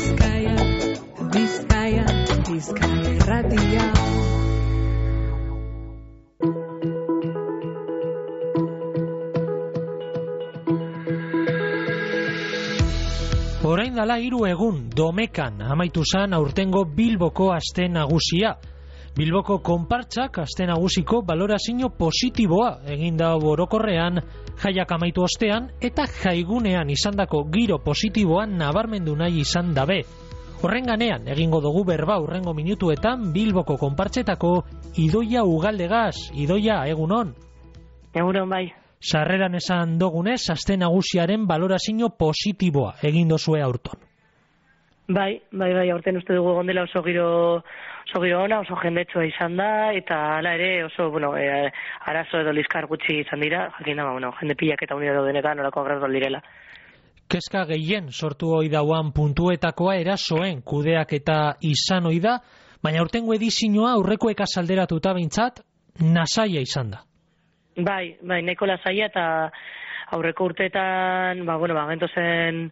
Bizkaia, Bizkaia, Bizkaia irratia. Orain dala 3 egun Domekan amaitu zan aurtengo Bilboko aste nagusia. Bilboko konpartsak aste nagusiko balorazio positiboa egin da orokorrean, jaiak amaitu ostean eta jaigunean izandako giro positiboan nabarmendu nahi izan dabe. Horren ganean egingo dugu berba hurrengo minutuetan Bilboko konpartsetako Idoia Ugaldegaz. Idoia, egunon? Egunon bai. Sarreran esan dogunez, aste nagusiaren balorazio positiboa egin dozue aurton. Bai, aurten uste dugu egon dela oso giro ona, oso jendetsua izan da, eta hala ere oso, arazo edo liskar gutxi izan dira, jakin da, jende pilak eta unidad denetan orako agradual direla. Kezka gehien sortu hoi dauan puntuetakoa erasoen kudeak eta izan hoi da, baina aurtengo edizioa aurrekoek azalderatuta bintzat, nasaia izan da. Bai, nahiko lasaia eta aurreko urteetan, gento zen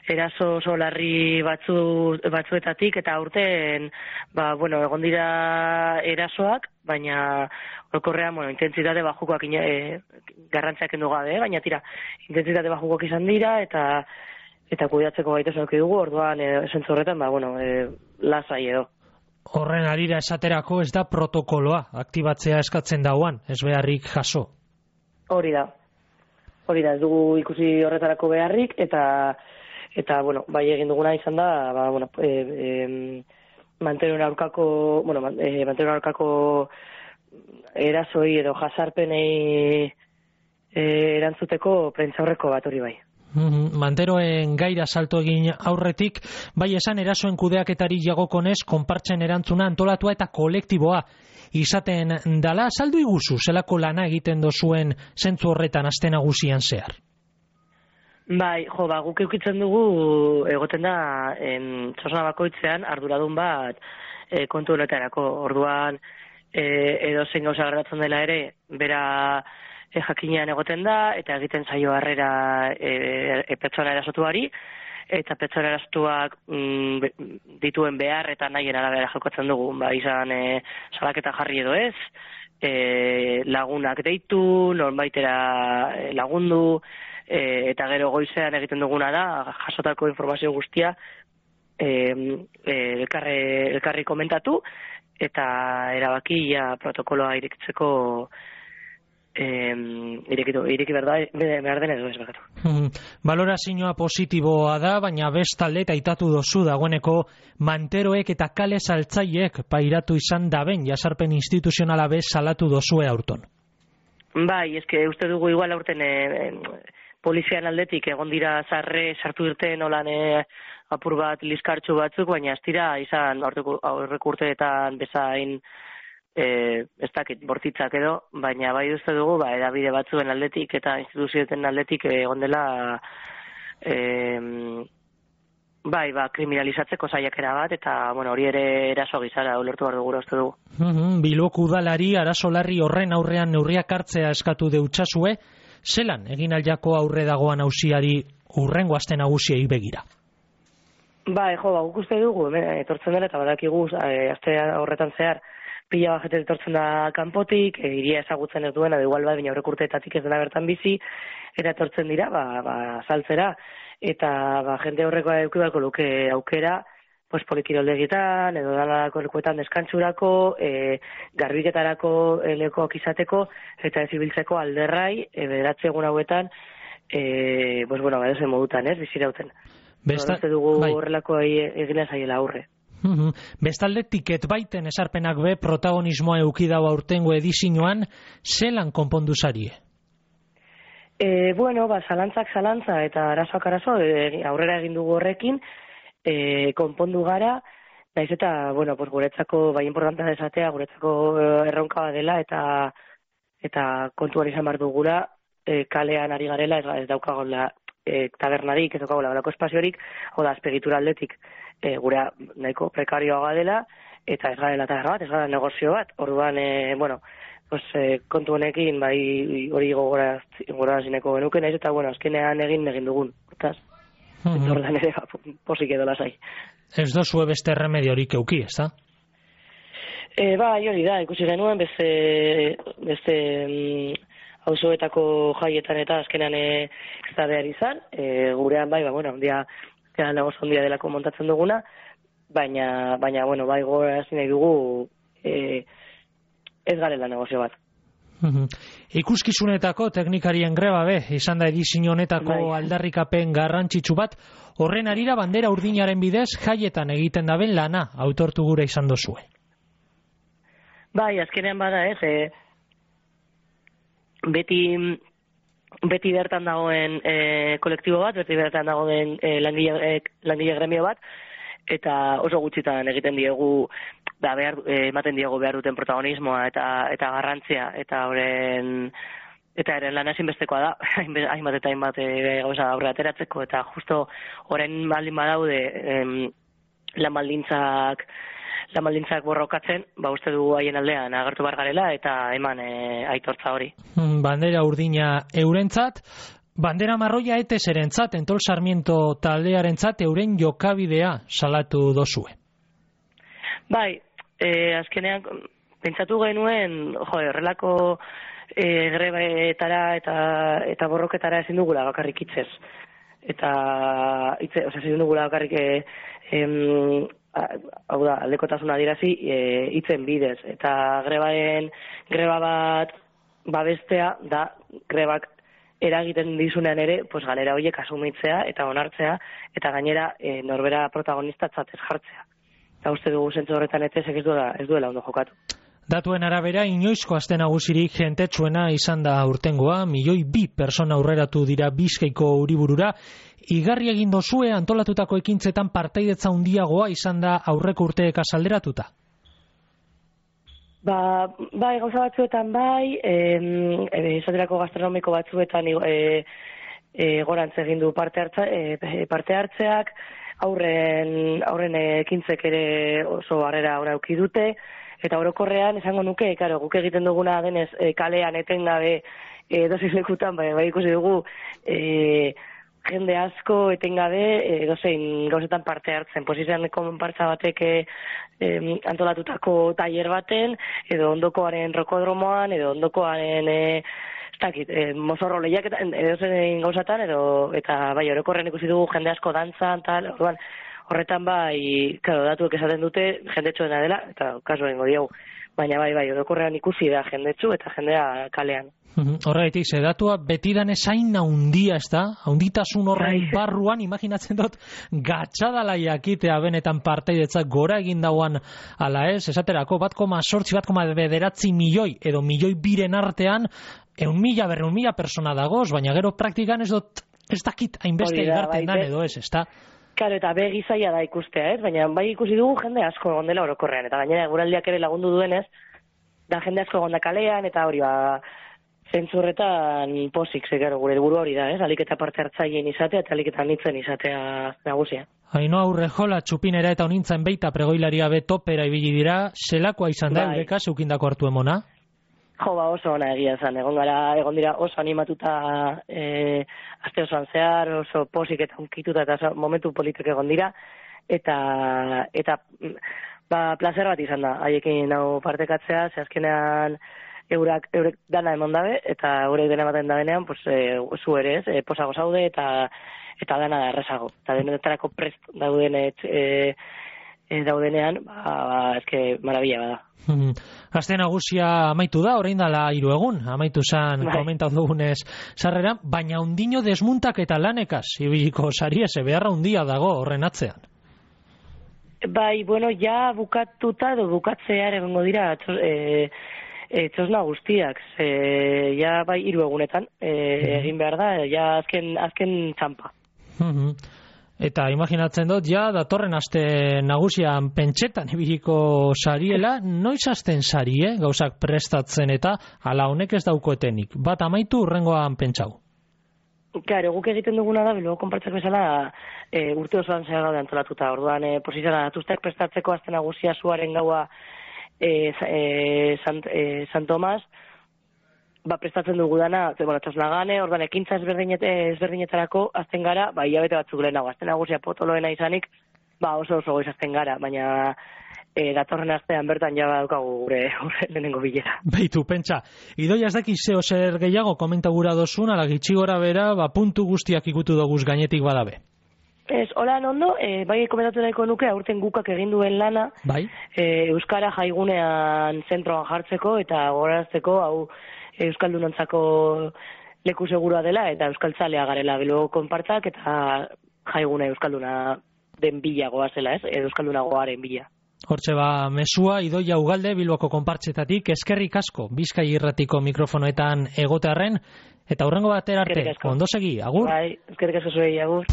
eraso oso larri batzuetatik eta aurten, egon dira erasoak, baina orokorrean, intentsitate bajukoak garrantziak kendu gabe, baina tira, intentsitate bajukoak izan dira eta kudeatzeko gaitasun eduki dugu, orduan esentzu horretan, lasai edo. Horren arira esaterako ez da protokoloa aktibatzea eskatzen dauan, ez beharrik jaso. Hori da, ez dugu ikusi horretarako beharrik, eta bai egin duguna izan da, mantenuen aurkako erasoi edo jasarpenei erantzuteko prentzaurreko bat hori bai. Manteroen gaira salto egin aurretik, bai esan erasoen kudeaketari jagokonez konpartzen erantzuna antolatua eta kolektiboa izaten dala. Saldu iguzu, zelako lana egiten dozuen zentzu horretan aste nagusian zehar? Bai, guk eukitzen dugu egoten da txosna bakoitzean arduradun bat kontu honetarako. Orduan edo zein gauza gertatzen dela ere, bera jakinean egoten da, eta egiten zaio harrera pertsona erasotuari, eta pertsona erasotuak dituen behar eta nahien arabera jokatzen dugu, izan salaketa jarri edo ez, lagunak deitu, norbaitera lagundu, eta gero goizean egiten duguna da, jasotako informazio guztia elkarri komentatu, eta erabaki protokoloa irekitzeko ireki behar den edo ez begatu. Balorazioa positiboa da, baina bestalde eta aitatu dozu dagoeneko manteroek eta kale saltzaiek pairatu izan daben jasarpen instituzionala bez salatu dozue aurton. Bai, eske uste dugu igual aurten polizian aldetik egon dira sartu irten olan apur bat liskartxu batzuk, baina ez dira izan aurreko urteetan bezain ez dakit bortitzak edo, baina bai uste dugu edabide batzuen aldetik eta instituzioeten aldetik egon dela kriminalizatzeko saiakera bat, eta hori ere eraso gizara ulertu behar dugura uste dugu. Bilboko udalari arazo larri horren aurrean neurriak hartzea eskatu deutsazue, zelan egin aljako aurre dagoan auziari hurrengo aste nagusiei begira? Guk uste dugu, etortzen dela eta badakigu aste horretan zehar pila bat etortzen da kanpotik, iria ezagutzen ez duena, igual baina aurreko urteetatik ez dena bertan bizi, eta etortzen dira, saltzera, eta jende horrekoa eduki beharko luke aukera, polikiroldegitan, edo danalako lekuetan deskantsurako, garbiketarako lekoak izateko, eta ez ibiltzeko alderrai, bederatze egun hauetan, edozen modutan, bizirauten. Horrezte dugu horrelako egina zaiela aurre. Bestalde tiket baiten esarpenak be protagonismoa eukidau aurtengo edizioan, zelan konpondu zarie? Zalantzak zalantza eta arazoak arazo, aurrera egin dugu horrekin, konpondu gara, naiz eta, guretzako bai importantea desatea, guretzako erronka bat dela, eta kontuan izan behar dugula, kalean ari garela, ez daukagola tabernarik, ez daukagola balako espaziorik, azpegitura aldetik, gura nahiko prekarioa dela, eta ez garela taberna bat, ez gara negozio bat, orduan, kontu honekin, hori gogorazineko genuken, eta azkenean egin dugun, hortaz. Ordan ere, posik edo lasai. Ez dozue beste remediorik euki, ez da? Bai, hori da, ikusi genuen, beste auzoetako jaietan eta azkenean ez da behar izan, gurean bai, ondia, nagoz ondia delako montatzen duguna, baina, bueno, bai gogorazi nahi dugu ez garela negozio bat. Ikuskizunetako teknikarien greba izan da edizio honetako aldarrikapen garrantzitsu bat, horren arira bandera urdinaren bidez jaietan egiten daben lana autortu gure izan dozue. Bai, azkenean bada beti bertan dagoen kolektibo bat, beti bertan dagoen langile gremio bat, eta oso gutxitan egiten diegu ematen diegu behar duten protagonismoa eta garrantzia, eta eren lan ezinbestekoa da, hainbat eta hainbat gauza aurre ateratzeko, eta justo horren baldin badaude lan baldintzak borrokatzen, uste dugu haien aldean agertu bar garela eta eman aitortza hori. Bandera urdina eurentzat, bandera marroia eteserentzat, Entol Sarmiento taldearentzat euren jokabidea salatu dozue. Bai, azkenean pentsatu genuen, horrelako grebetara eta borroketara ezin dugula bakarrik hitzez. Ezin dugula bakarrik hau da, aldekotasuna dirazi hitzen bidez. Eta greba bat babestea da grebak eragiten dizunean ere, galera horiek asumitzea eta onartzea, eta gainera norbera protagonistatzat ez jartzea. Eta uste dugu zentzu horretan ez duela ondo jokatu. Datuen arabera, inoizko aste nagusirik jentetsuena izan da urtengoa, 1.200.000 persona aurreratu dira Bizkaiko hiriburura. Igarri egin dozue antolatutako ekintzetan partaidetza handiagoa izan da aurreko urteek azalderatuta? Bai, gauza batzuetan bai, esaterako gastronomiko batzuetan gorantz egin du parte hartzeak, aurren ekintzek ere oso harrera ona eduki dute, eta orokorrean esango nuke, guk egiten duguna denez kalean etengabe edozein lekutan, bai ikusi dugu jende asko etengabe edozein gauzetan parte hartzen. Izan konpartza batek antolatutako tailer baten, edo ondokoaren rokodromoan, edo ondokoaren mozorro lehiaketan, edozein gauzatan, eta bai orokorren ikusi dugu jende asko dantzan, tal, orduan, horretan bai, datuek esaten dute jendetsuena dela, eta kasu egingo diogu. Baina bai, orokorrean ikusi da jendetsu eta jendea kalean. Horregatik, datua betidan esain haundia, ez da? Haunditasun horren barruan, imaginatzen dut, gatxadala jakitea benetan partaidetzak gora egin dauan ala ez, esaterako 1,8 milioi edo 1.200.000 artean, 100.000 persona dagoz, baina gero praktikan ez dakit hainbeste igarten dan edo ez da? Claro, eta begi zaila da ikustea, ez? Baina bai ikusi dugu jende asko egon dela orokorrean, eta gainera eguraldiak ere lagundu duenez, da jende asko egon da kalean, eta hori zentzurretan posik, gure helburu hori da, ez? Alik eta parte hartzaileen izatea, eta alik eta nitzen izatea nagusia. Ainhoa Urrejola txupinera eta honintzen beita pregoilaria betopera ibili dira, zelakoa izan da eureka zeukindako hartu emona? Oso ona egia zen, egon dira oso animatuta aste osoan zehar, oso posik eta unkituta eta momentu politik egon dira, eta placer bat izan da, haiekin hau partekatzea, ze azkenean eurek dana emon dabe, eta eurek dena baten dabenean, zu ere ez, posago zaude eta dana da errezago. Eta denetarako prest daudenean, eske marabila bada. Aste nagusia amaitu da, orain dala 3 egun, amaitu zan komentatu dugunez sarreran, baina ondino desmuntak eta lanekaz, ibiliko sariese, beharra hundia dago horren atzean. Bai, ja bukatuta edo bukatzear egongo dira txosna guztiak, ja bai 3 egunetan egin behar da, ja azken txampa. Eta imaginatzen dut, datorren aste nagusian pentsetan ibiliko sariela, noiz hasten sari, gauzak prestatzen eta ala honek ez daukoetenik. Bat amaitu urrengoan pentsau. Claro, guk egiten duguna da, bilbo konpartzak bezala, urte osoan zehar gaude antolatuta. Orduan, posizionan atuzteak prestatzeko aste nagusia zuaren gaua San Tomas, prestatzen dugu dana, txosnagane, ordan ekintza ezberdinetarako azten gara, hilabete batzuk lehenago, azten nagusia potoloena izanik, oso goiz azten gara, baina datorren astean bertan ja daukagu gure lehenengo bilera. Beitu, pentsa, idoia ez daki zeo zer gehiago komenta gura dozun, ala gitxi gora bera, puntu guztiak ikutu doguz gainetik badabe. Ez, holan ondo, bai komentatu nahiko nuke, aurten gukak egin duen lana, bai? Euskara jaigunean zentroan jartzeko eta gogorarazteko, hau euskaldunontzako leku segurua dela eta euskaltzalea garela Bilboko konpartzak eta jaigune euskalduna den bila goazela, ez? Euskalduna goaren bila. Hortxe mesua Idoia Ugalde Bilboko konpartzetatik, eskerrik asko Bizkai Irratiko mikrofonoetan egotearren, eta hurrengo batera arte, ondo segi, agur? Bai, eskerrik asko zuei, agur.